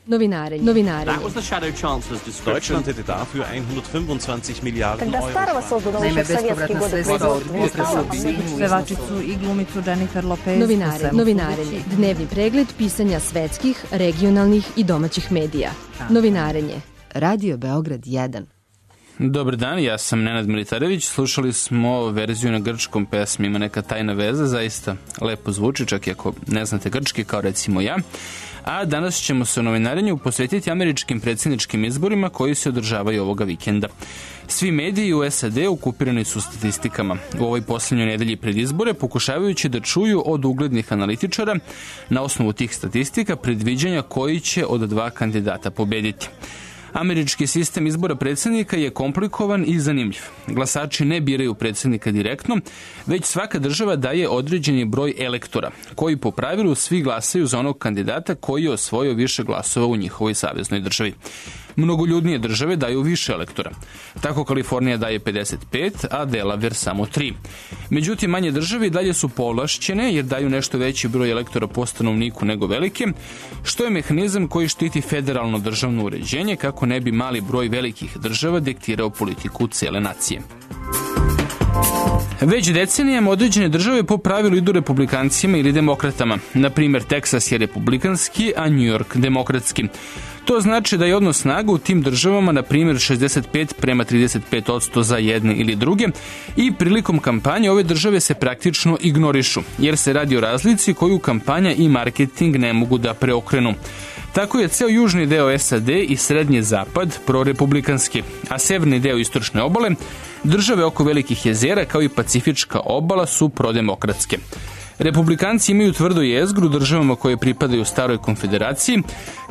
Novinarenje. Deutschland hätte dafür 125 Milijarden Euro. Naime, bespovratna sredstva od pevačicu i glumicu Jennifer Lopez. Novinarenje. Dnevni pregled pisanja svetskih, regionalnih i domaćih medija. Novinarenje. Radio Beograd 1. Dobar dan, ja sam Nenad Militarević. Slušali smo verziju na grčkom pesmi Ima neka tajna veza, zaista lepo zvuči, čak i ako ne znate grčki, kao recimo ja. A danas ćemo se u novinarenju posvetiti američkim predsjedničkim izborima koji se održavaju ovoga vikenda. Svi mediji u SAD okupirani su statistikama. U ovoj posljednjoj nedelji pred izbore pokušavajući da čuju od uglednih analitičara na osnovu tih statistika predviđanja koji će od dva kandidata pobediti. Američki sistem izbora predsjednika je komplikovan i zanimljiv. Glasači ne biraju predsjednika direktno, već svaka država daje određeni broj elektora, koji po pravilu svi glasaju za onog kandidata koji je osvojio više glasova u njihovoj saveznoj državi. Mnogoljudnije države daju više elektora. Tako Kalifornija daje 55, a Delaware samo 3. Međutim, manje države dalje su povlašćene jer daju nešto veći broj elektora po stanovniku nego velike, što je mehanizam koji štiti federalno državno uređenje kako ne bi mali broj velikih država diktirao politiku cele nacije. Već decenijama određene države po pravilu idu republikancima ili demokratama. Na primjer, Teksas je republikanski, a New York demokratski. To znači da je odnos snaga u tim državama, na primjer, 65:35% za jedne ili druge i prilikom kampanje ove države se praktično ignorišu, jer se radi o razlici koju kampanja i marketing ne mogu da preokrenu. Tako je ceo južni deo SAD i srednji zapad prorepublikanski, a severni deo istočne obale, države oko velikih jezera kao i Pacifička obala su prodemokratske. Republikanci imaju tvrdo jezgru u državama koje pripadaju staroj konfederaciji,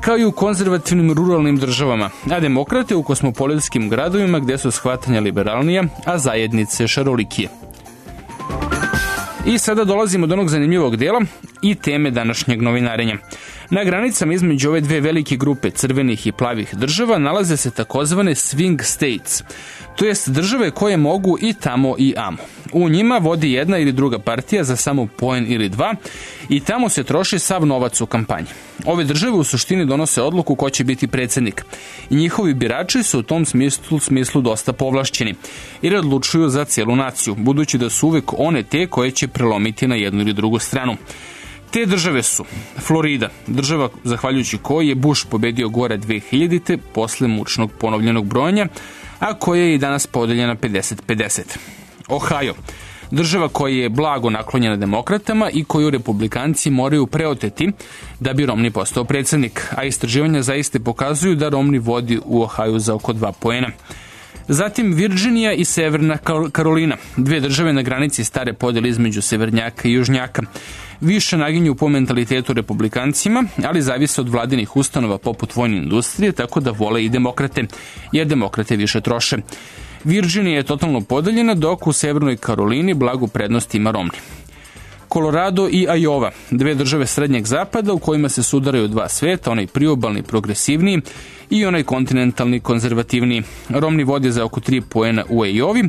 kao i u konzervativnim ruralnim državama, a demokrate u kosmopolitskim gradovima gde su shvatanja liberalnija, a zajednice šarolikije. I sada dolazimo do onog zanimljivog dela i teme današnjeg novinarenja. Na granicama između ove dve velike grupe crvenih i plavih država nalaze se takozvane swing states, to jest države koje mogu i tamo i amo. U njima vodi jedna ili druga partija za samo poen ili dva i tamo se troši sav novac u kampanji. Ove države u suštini donose odluku ko će biti predsjednik i njihovi birači su u tom smislu dosta povlašćeni jer odlučuju za cijelu naciju, budući da su uvek one te koje će prelomiti na jednu ili drugu stranu. Te države su Florida, država zahvaljujući kojoj je Bush pobedio gore 2000. posle mučnog ponovljenog brojanja, a koja je i danas podeljena 50-50. Ohio, država koja je blago naklonjena demokratama i koju republikanci moraju preoteti da bi Romney postao predsjednik, a istraživanja zaiste pokazuju da Romney vodi u Ohio za oko 2 poena. Zatim Virginija i Severna Karolina, dve države na granici stare podjele između severnjaka i južnjaka. Više naginju po mentalitetu republikancima, ali zavise od vladinih ustanova poput vojne industrije, tako da vole i demokrate, jer demokrate više troše. Virginija je totalno podeljena, dok u Severnoj Karolini blagu prednost ima Romney. Colorado i Iowa, dve države srednjeg zapada u kojima se sudaraju dva sveta, onaj priobalni progresivniji i onaj kontinentalni konzervativniji. Romney vodi za oko 3 poena u Iowi,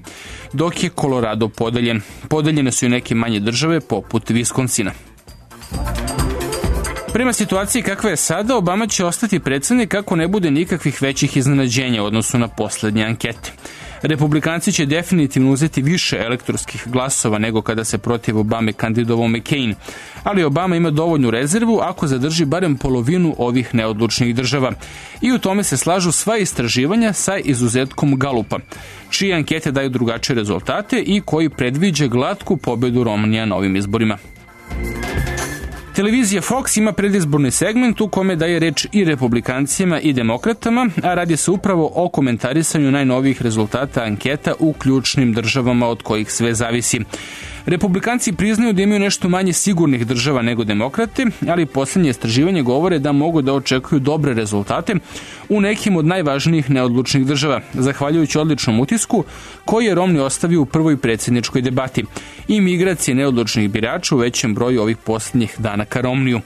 dok je Colorado podeljen. Podeljene su i neke manje države poput Viskonsina. Prema situaciji kakva je sada, Obama će ostati predsjednik ako ne bude nikakvih većih iznenađenja u odnosu na posljednje ankete. Republikanci će definitivno uzeti više elektorskih glasova nego kada se protiv Obame kandidovao McCain, ali Obama ima dovoljnu rezervu ako zadrži barem polovinu ovih neodlučnih država. I u tome se slažu sva istraživanja sa izuzetkom Gallupa, čije ankete daju drugačije rezultate i koji predviđa glatku pobedu Romneya na ovim izborima. Televizija Fox ima predizborni segment u kome daje reč i republikancima i demokratama, a radi se upravo o komentarisanju najnovijih rezultata anketa u ključnim državama od kojih sve zavisi. Republikanci priznaju da imaju nešto manje sigurnih država nego demokrate, ali posljednje istraživanje govore da mogu da očekuju dobre rezultate u nekim od najvažnijih neodlučnih država, zahvaljujući odličnom utisku koji je Romney ostavio u prvoj predsjedničkoj debati i migracije neodlučnih birača u većem broju ovih posljednjih dana ka Romneyu.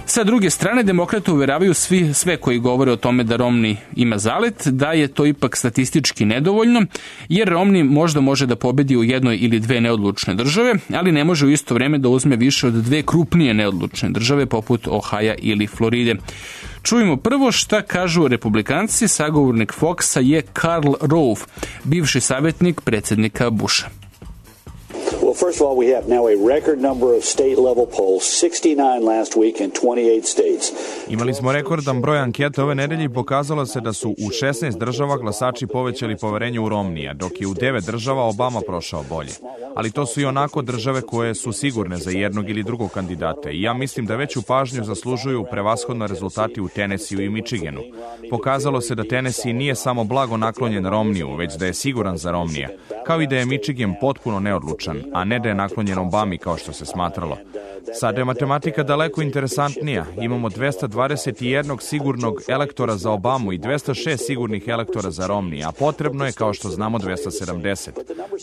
Sa druge strane, demokrate uveravaju sve koji govore o tome da Romney ima zalet, da je to ipak statistički nedovoljno, jer Romney možda može da pobedi u jednoj ili dve neodlučne države, države, ali ne može u isto vrijeme da uzme više od 2 krupnije neodlučne države poput Ohaja ili Floride. Čujemo prvo šta kažu republikanci. Sagovornik Foxa je Karl Rove, bivši savjetnik predsjednika Busha. Well, first of all, we have now a record number of state-level polls, 69 last week in 28 states. Imali smo rekordan broj anketa ove nedelje i pokazalo se da su u 16 država glasači povećali poverenje u Romneya, dok je u 9 država Obama prošao bolje. Ali to su i onako države koje su sigurne za jednog ili drugog kandidata i ja mislim da veću pažnju zaslužuju prevashodno rezultati u Tennesseeu i Michiganu. Pokazalo se da Tennessee nije samo blago naklonjen Romneyu, već da je siguran za Romneya, kao i da je Michigan potpuno neodlučan, a ne da je naklonjen Obami kao što se smatralo. Sada je matematika daleko interesantnija. Imamo 221 sigurnog elektora za Obamu i 206 sigurnih elektora za Romney, a potrebno je, kao što znamo, 270.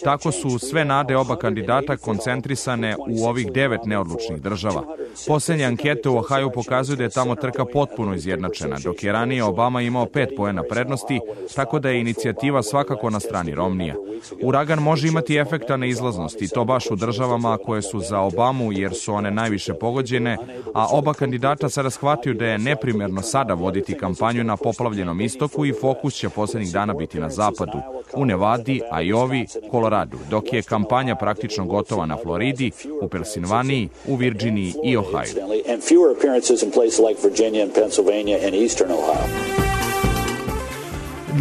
Tako su sve nade oba kandidata koncentrisane u ovih 9 neodlučnih država. Posljednje ankete u Ohaju pokazuju da je tamo trka potpuno izjednačena, dok je ranije Obama imao 5 poena prednosti, tako da je inicijativa svakako na strani Romneya. Uragan može imati efekta na izlaznost i to baš u državama koje su za Obamu jer su one najviše pogođene, a oba kandidata sada shvatio da je neprimjerno sada voditi kampanju na poplavljenom istoku i fokus će posljednjih dana biti na zapadu, u Nevadi, Iovi, Koloradu, dok je kampanja praktično gotova na Floridi, u Pensilvaniji, u Virginiji i Ohaju.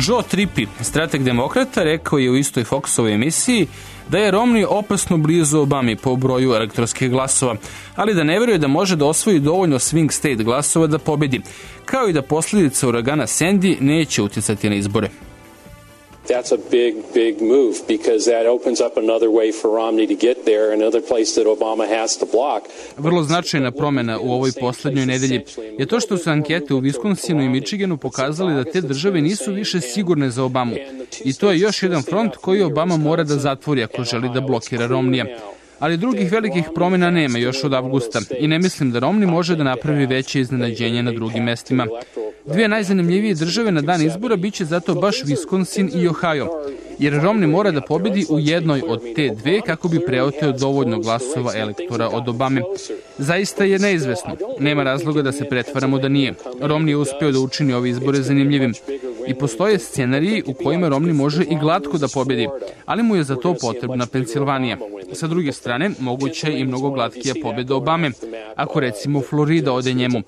Joe Trippi, strateg demokrata, rekao je u istoj Foxovoj emisiji da je Romney opasno blizu Obami po broju elektorskih glasova, ali da ne vjeruje da može da osvoji dovoljno swing state glasova da pobedi, kao i da posljedice uragana Sandy neće utjecati na izbore. That's a big move because that opens up another way for Romney to get there, another place that Obama has to block. Vrlo značajna promjena u ovoj posljednjoj nedelji je to što su ankete u Wisconsinu i Michiganu pokazali da te države nisu više sigurne za Obamu. I to je još jedan front koji Obama mora da zatvori ako želi da blokira Romneya. Ali drugih velikih promjena nema još od avgusta i ne mislim da Romney može da napravi veće iznenađenje na drugim mestima. Dvije najzanimljivije države na dan izbora biće zato baš Wisconsin i Ohio, jer Romney mora da pobedi u jednoj od te dve kako bi preoteo dovoljno glasova elektora od Obame. Zaista je neizvesno. Nema razloga da se pretvaramo da nije. Romney je uspeo da učini ove izbore zanimljivim. I postoje scenariji u kojima Romney može i glatko da pobedi, ali mu je za to potrebna Pensilvanija. Sa druge strane, moguća je i mnogo glatkija pobjeda Obame, ako recimo Florida ode njemu.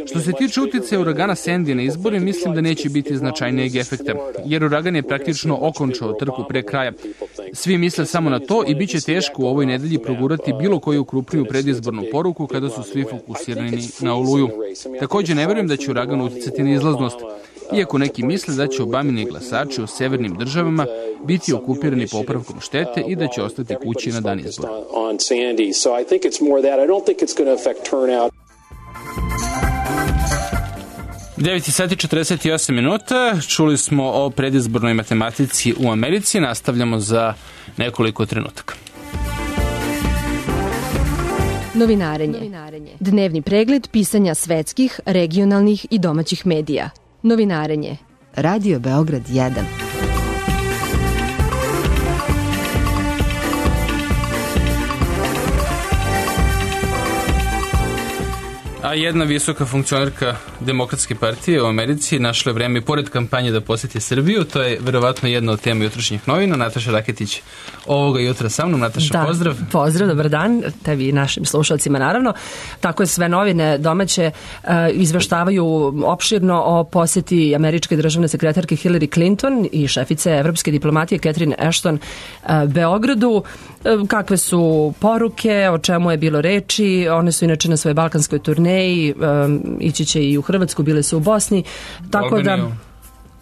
Što se tiče utjecaja uragana Sandy na izbore, mislim da neće biti značajnijeg efekta, jer uragan je praktično okončao trku pre kraja. Svi misle samo na to i bit će teško u ovoj nedelji progurati bilo koju krupniju predizbornu poruku kada su svi fokusirani na Oluju. Također ne vjerujem da će uragan utjecati na izlaznost, iako neki misle da će Obamini glasači u severnim državama biti okupirani popravkom štete i da će ostati kući na dan izbora. 9:48. Čuli smo o predizbornoj matematici u Americi. Nastavljamo za nekoliko trenutaka. Novinarenje. Dnevni pregled pisanja svetskih, regionalnih i domaćih medija. Novinarenje. Radio Beograd 1. A jedna visoka funkcionerka Demokratske partije u Americi našla vreme pored kampanje da posjeti Srbiju. To je verovatno jedna od tema jutrošnjih novina. Nataša Raketić ovoga jutra sa mnom. Nataša, pozdrav. Pozdrav, dobar dan, tebi i našim slušalcima naravno. Tako je, sve novine domaće izveštavaju opširno o posjeti američke državne sekretarke Hillary Clinton i šefice evropske diplomatije Catherine Ashton Beogradu. Kakve su poruke, o čemu je bilo reči. One su inače na svojoj balkanskoj turneji, ići će i u Hrvatsku, bile su u Bosni, tako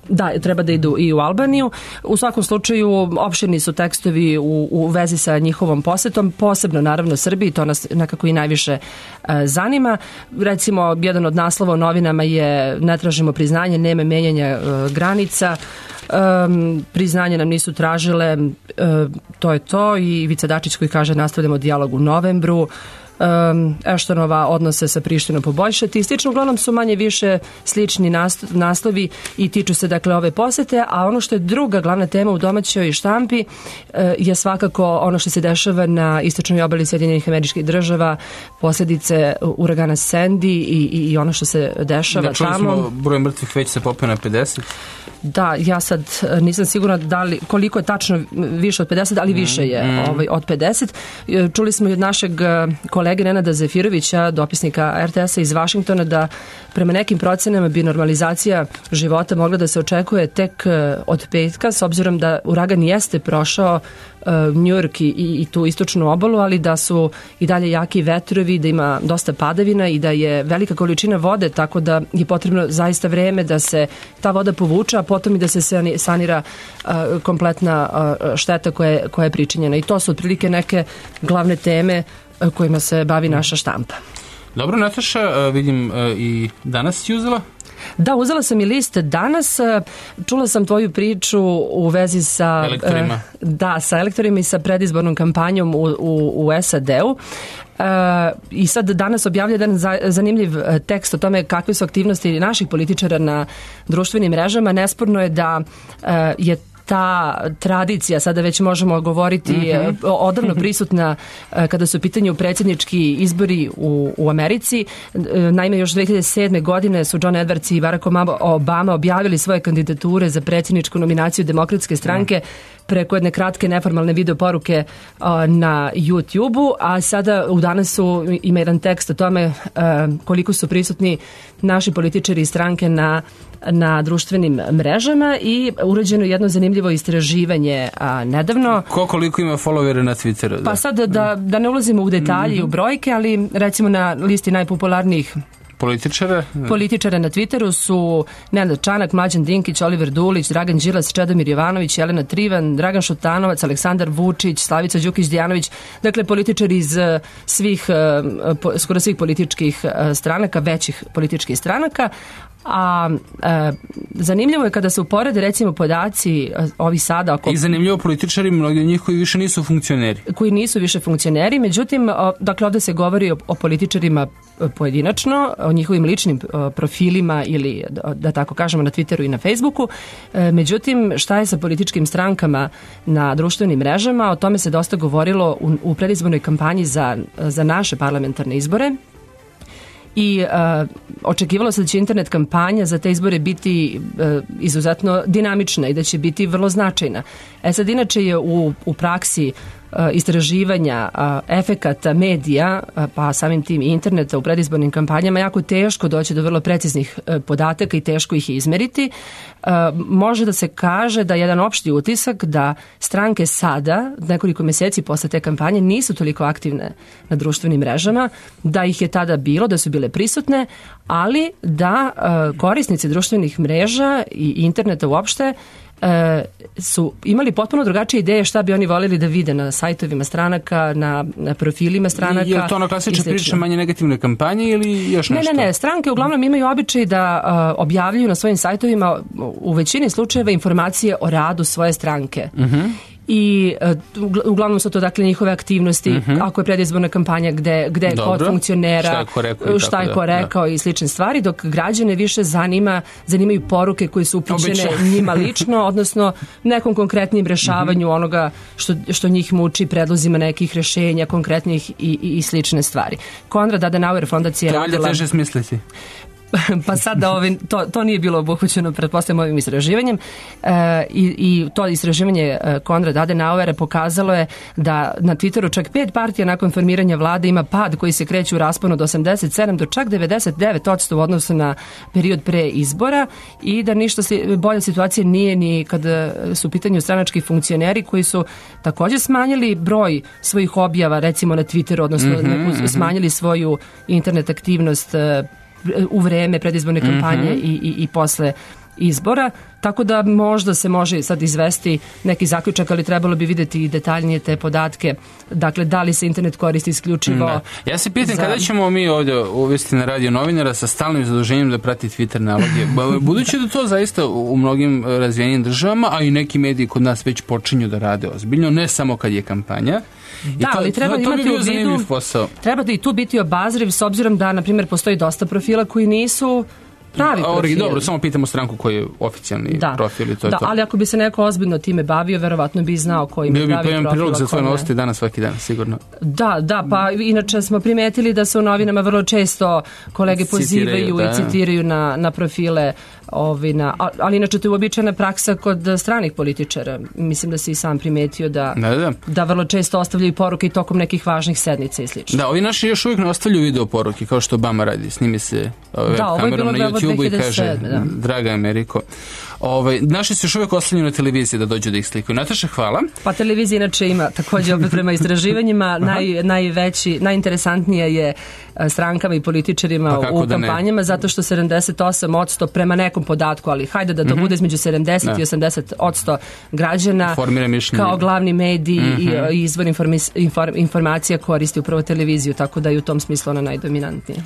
da treba da idu i u Albaniju. U svakom slučaju opširni su tekstovi u vezi sa njihovom posetom, posebno naravno Srbiji, to nas nekako i najviše zanima. Recimo, jedan od naslova u novinama je "Ne tražimo priznanje, nema menjanja granica", priznanje nam nisu tražile, to je to. I Ivica Dačić koji kaže nastavljamo dijalog u novembru. Eštonova odnose sa Prištinom poboljšati. Slično, uglavnom su manje više slični naslovi i tiču se dakle ove posete, a ono što je druga glavna tema u domaćoj štampi je svakako ono što se dešava na istočnoj obali Sjedinjenih Američkih Država, posljedice uragana Sandy i ono što se dešava tamo. Čuli smo broj mrtvih već se popeo na 50. Da, ja sad nisam sigurna koliko je tačno više od 50, ali više je od 50. Čuli smo i od našeg kolege Nenada Zefirovića, dopisnika RTS-a iz Vašingtona, da prema nekim procenama bi normalizacija života mogla da se očekuje tek od petka, s obzirom da uragan jeste prošao Njujork i tu istočnu obalu, ali da su i dalje jaki vetrovi, da ima dosta padavina i da je velika količina vode, tako da je potrebno zaista vreme da se ta voda povuče, a potom i da se sanira kompletna šteta koja je pričinjena. I to su otprilike neke glavne teme kojima se bavi naša štampa. Dobro, Nataša, vidim i danas si uzela? Da, uzela sam i list danas. Čula sam tvoju priču u vezi sa elektorima. Sa elektorima i sa predizbornom kampanjom u SAD-u. I sad danas objavlja jedan zanimljiv tekst o tome kakve su aktivnosti naših političara na društvenim mrežama. Nesporno je da je ta tradicija, sada već možemo govoriti, odavno prisutna kada su u pitanju predsjednički izbori u Americi. Naime, još 2007. godine su John Edwards i Barack Obama objavili svoje kandidature za predsjedničku nominaciju Demokratske stranke preko jedne kratke neformalne video poruke na YouTube-u, a sada u danasu ima jedan tekst o tome koliko su prisutni naši političari i stranke na društvenim mrežama i urađeno jedno zanimljivo istraživanje nedavno. Koliko ima followera na Twitteru? Pa sad da ne ulazimo u detalje i u brojke, ali recimo na listi najpopularnijih političara na Twitteru su Nenad Čanak, Mlađan Dinkić, Oliver Dulić, Dragan Đilas, Čedomir Jovanović, Jelena Trivan, Dragan Šutanovac, Aleksandar Vučić, Slavica Đukić-Dijanović, dakle političari iz skoro svih političkih stranaka, većih političkih stranaka. A zanimljivo je kada se uporede recimo podaci ovi sada I zanimljivo političari, mnogi od njih koji više nisu funkcioneri. Koji nisu više funkcioneri, međutim, dakle ovdje se govori o političarima pojedinačno, o njihovim ličnim profilima ili da tako kažemo na Twitteru i na Facebooku. Međutim, šta je sa političkim strankama na društvenim mrežama? O tome se dosta govorilo u predizbornoj kampanji za naše parlamentarne izbore. I očekivalo se da će internet kampanja za te izbore biti izuzetno dinamična i da će biti vrlo značajna. Sad inače je u praksi istraživanja efekata medija, pa samim tim i interneta u predizbornim kampanjama jako teško doći do vrlo preciznih podataka i teško ih izmeriti. Može da se kaže da jedan opšti utisak da stranke sada, nekoliko mjeseci posle te kampanje, nisu toliko aktivne na društvenim mrežama, da ih je tada bilo, da su bile prisutne, ali da korisnici društvenih mreža i interneta uopšte su imali potpuno drugačije ideje šta bi oni voljeli da vide na sajtovima stranaka, na profilima stranaka. Je li to ona klasična priča manje negativne kampanje ili još nešto? Ne. Stranke uglavnom imaju običaj da objavljuju na svojim sajtovima u većini slučajeva informacije o radu svoje stranke. I uglavnom su to dakle njihove aktivnosti, ako je predizborna kampanja gde je kod funkcionera, šta je ko rekao i slične stvari, dok građane više zanimaju poruke koje su upućene njima lično, odnosno nekom konkretnim rešavanju onoga što njih muči, predlozima nekih rešenja konkretnih i slične stvari. Konrad Adenauer fondacija je radila... To je teže smisliti. Pa sad to nije bilo obuhvaćeno pretpostavljam ovim istraživanjem i to istraživanje Konrada Adenauera pokazalo je da na Twitteru čak 5 partija nakon formiranja vlade ima pad koji se kreće u rasponu od 87 do čak 99% u odnosu na period pre izbora i da ništa bolja situacija nije ni kada su u pitanju stranački funkcioneri koji su također smanjili broj svojih objava recimo na Twitteru, odnosno smanjili svoju internet aktivnost u vreme predizborne kampanje i posle izbora, tako da možda se može sad izvesti neki zaključak, ali trebalo bi vidjeti i detaljnije te podatke. Dakle, da li se internet koristi isključivo... Da. Ja se pitam kada ćemo mi ovdje uvesti na Radio novinara sa stalnim zaduženjem da prati Twitter naloge. Budući da to zaista u mnogim razvijenim državama, a i neki mediji kod nas već počinju da rade ozbiljno, ne samo kad je kampanja. Da, ali treba imati u vidu, treba i tu biti obazriv s obzirom da, na primjer, postoji dosta profila koji nisu pravi profil. Dobro, samo pitamo stranku koji je oficijalni profil i to je to. Ali ako bi se neko ozbiljno time bavio, verovatno bi znao koji ima pravi profil. Bio bi prilog za tvoje novosti danas svaki dan, sigurno. Da, pa inače smo primetili da se u novinama vrlo često kolege pozivaju i citiraju na profile, ali inače to je uobičajena praksa kod stranih političara. Mislim da si i sam primetio da vrlo često ostavljaju poruke i tokom nekih važnih sednica i slično. Da, ovi naši još uvijek ne ostavljaju video poruke, kao što Obama radi. Snimi se kamerom na YouTube i kaže, draga Ameriko. Naši se još uvijek ostavljaju na televiziji da dođu da ih slikuju. Nataša, hvala. Pa televizija inače ima također opet prema istraživanjima najinteresantnije je strankama i političarima u kampanjama, zato što 78% prema nekom podatku, ali hajde da to bude između 70 i 80% građana kao glavni medij i izvor informacija koristi upravo televiziju, tako da je u tom smislu ona najdominantnija.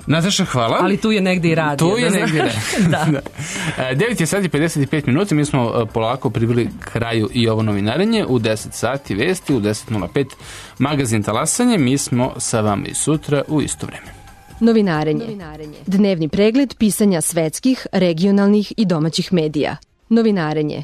Nataša, hvala. Ali tu je negdje i radio. Tu je negdje, da. 9 je sati 55 minuta, mi smo polako priveli kraju i ovo novinarenje. U 10 sati vesti, u 10.05 magazin Talasanje. Mi smo sa vama i sutra u isto vreme. Novinarenje. Dnevni pregled pisanja svetskih, regionalnih i domaćih medija. Novinarenje.